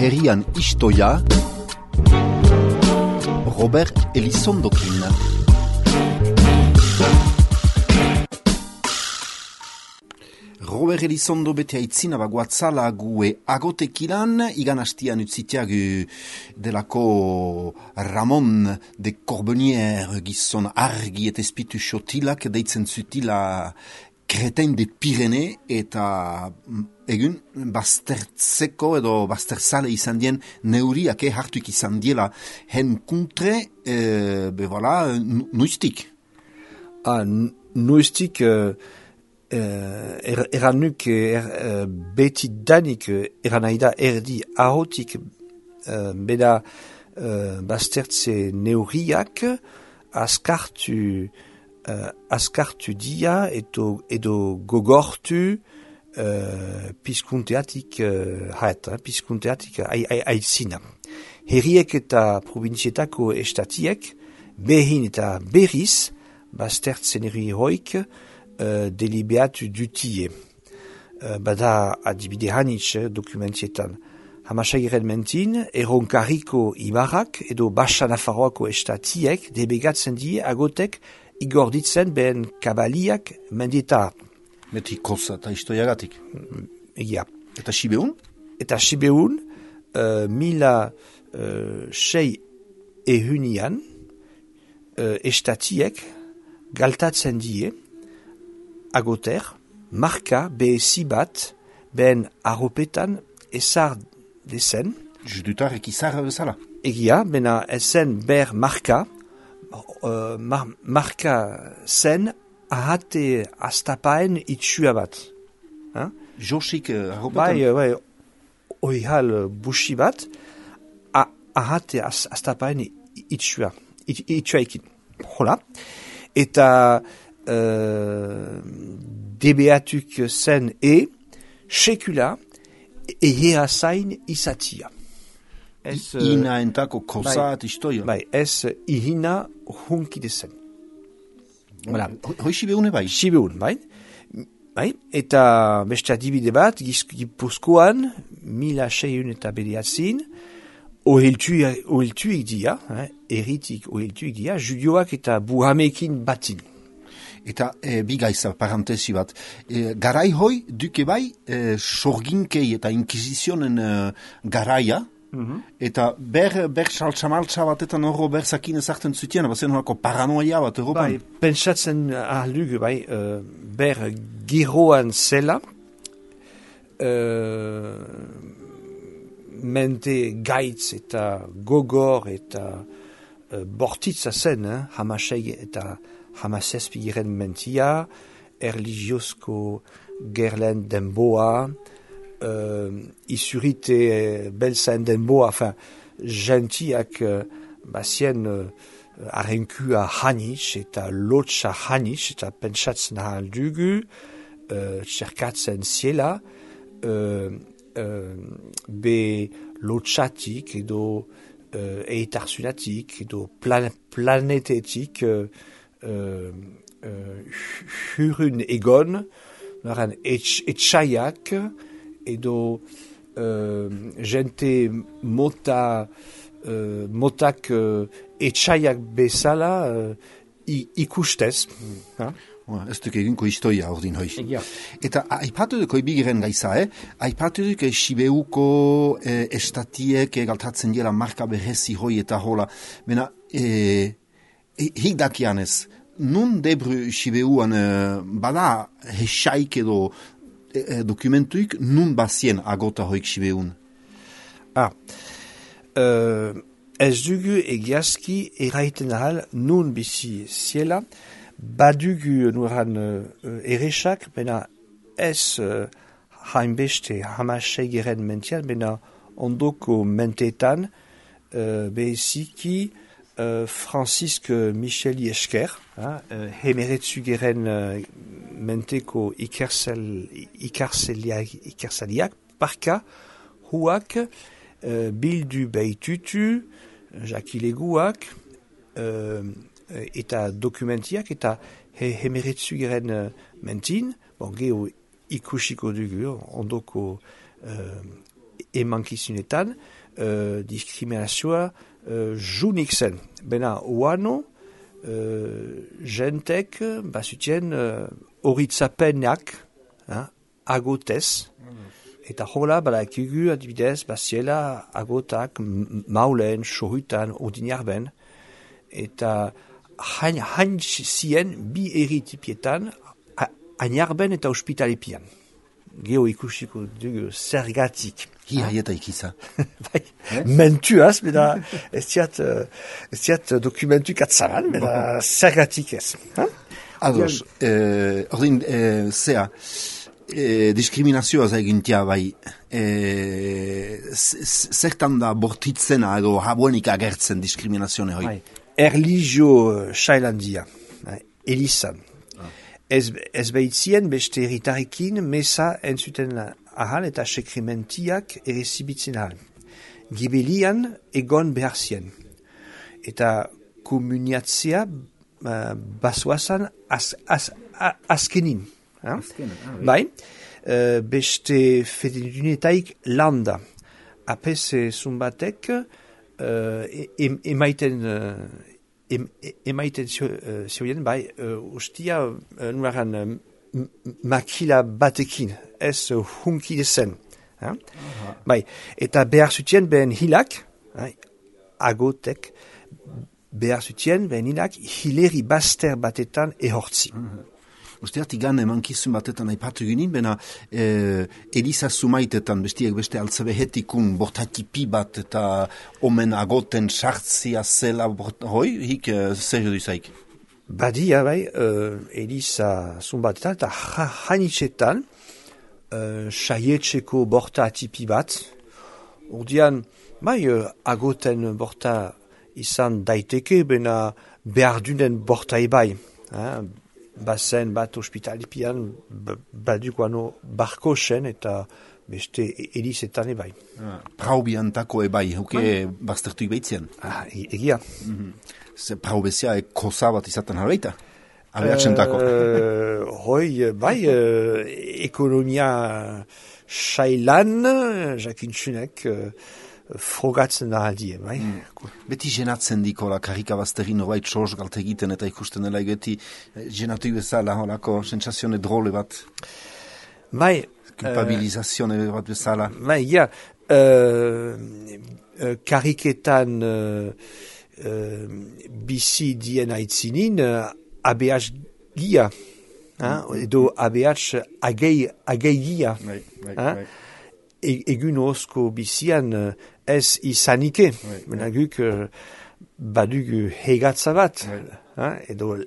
herrian istoia, Robert Elizondokin. Robert Elizondo bete aitzina baguatzala gue agotekilan, igan hastian utzitiagu delako Ramon de Corbenière gizon argi eta espitu xotilak deitzen zutila Kreten de Pirene eta egun baztertzeko edo bazterzale izan dien neuriak hartuik izan diela hen kuntre, voilà, nuistik. Nuistik eranuk beti danik eranaida erdi ahotik beda baztertze neuriak askartu dia edo gogortu pizkunteatik pizkunteatik aitzina. Herriek eta provinzietako estatiek behin eta berriz baztertzen herri hoik delibeatu dutie. Bada adibide hanitz dokumentietan. Hamasegiren mentin, erronkariko ibarrak edo Basa Nafarroako estatiek debegatzen die agotek igorditzen behen kabaliak mendietar. Beti koza eta istoiagatik. Egia. Eta Sibeun? Eta Sibeun, 1600 estatiek galtatzen die agoter, marka behezi bat behen arropetan ezar dezen. Judutarek izar bezala. Egia, bena ezen ber marka, marka zen ahate astapaen itxua bat. Josik arropetan? Bai, oihal busi bat, ahate astapaen itxua ekin. Hola. Eta debeatuk zen sekula ehea zain izatia. Ina entako kozat istoia. Bai, ez ihina hunkide zen. Voilà. Hoi Sibeune bai? Sibeun, bai. Eta beste adibide bat, Gipuzkoan, 1600 ohiltuik dia, erritik ohiltuik dia, judioak eta buhamekin batin. Eta bigaiza, parantesi bat, garai hoi duke bai sorginkei eta inkizizionen garaia, eta ber saltsamaltsa batetan horro berzakin ezartzen zutien, bazen horako paranoia bat Europan. Bai, pentsatzen ahalduk, bai, ber giroan zela, mente gaitz eta gogor eta bortitza zen, hamasei eta hamasezpigiren mentia, erligiozko gerlen denboa, isurite belzaen denboa, gentiak bazien arrenkua hanitz eta lotsa hanitz eta pentsatzen ahaldugu, txerkatzen ziela, be lotsatik edo eitarzunatik edo planetetik hurun egon, noran etxaiak edo gente motak etxaiak bezala ikustez. Ez duk eginko istoia ordin hoi. Eta aipatu duk bigiren gaiza, aipatu duk Sibeuko estatiek galtatzen dela marka berezi hoi eta hola. Bena, hik dakianez, nun debru Sibeuan bada hesaik edo dokumentuik nun bazien agota hoik Sibeun? Ez dugu egiazki eraiten ahal nun bizi ziela, badugu nuran eresak, bena ez hainbeste hamasegeren mentian, bena ondoko mentetan beheziki Franzisk Micheli esker, hemeretzugeren menteko ikarsaliak, parka, huak, bildu behitutu, jakileguak, eta dokumentiak, eta hemeretzugeren mentin, geho ikusiko dugu, ondoko emankizunetan diskriminazioa junik zen. Bena, oano, jentek bazutien horitzapenak agotez, eta hola badakigu adibidez baziela agotak maulen, sohutan, ordinarben, eta hain zien bi eritipietan ainarben eta ospitalipian. Geo ikusiko dugu zergatik. Hiaieta ikiza. Bai, mentuaz, beda ez ziat dokumentu katzaran, beda zergatik ez. Ados, ordin, zea, diskriminazioa zaigintia bai, zertan da bortitzena edo habuenik agertzen diskriminazione hoi? Erlijio Shailandia, Elisan. Ez behitzien beste erritarikin mesa entzuten ahal eta sekrimentiak errezibitzen ahal. Gibelian egon behar zien. Eta komuniatzea basoazan azkenin. Bai, beste fedunetaik landa. Apez zumbatek emaiten zioen, bai, ustia nuaran makila batekin, ez hunkide zen. Bai, eta behar zutien behen hilak, agotek, behar zutien behen hilak hileri baster batetan ehortzi. Usteat igan emankizun batetan aipatu ginen, bena Eliza Zumaitetan bestiek beste altzebehetikun bortatipi bat eta omen agoten sartzia zela hoi, hik zer duzaik? Badia, bai, Eliza Zumaitetan eta hanitzetan saietxeko bortatipi bat, ordian, bai, agoten borta izan daiteke, bena behar dunen borta ebai, bazen bat ospitalipian badukoano barkosen eta beste elizetan ebai. Praubiantako ebai, hauke baztertuik behitzen? Egia. Praubezia koza bat izaten harreita? Abeatzentako? Hoi, bai, ekonomia sailan, jakintzunek, frogatzen da aldie, bai. Beti jenatzen dikola karika bazterin horbait soz galte egiten eta ikusten dela egeti jenatu bezala holako sensazione drole bat. Bai. Culpabilizazione bat bezala. Bai, ja. Kariketan bizi dien aitzinin ABH gia. Edo ABH agei gia. Bai. Egun osko bizian ez izanike. Benaguk badugu hegatza bat. Edo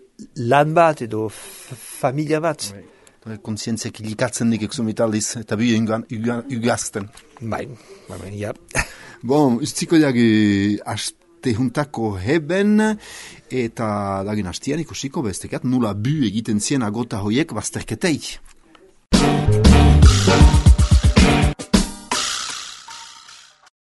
lan bat, edo familia bat. Kontzientziak ilikatzen dik eksumitaldiz, eta bi ugazten. Bai, ja. Bon, ustziko diagi aste juntako heben, eta dagin hastian ikusiko bestekat, nula bu egiten zien agota hoiek bazterketeik.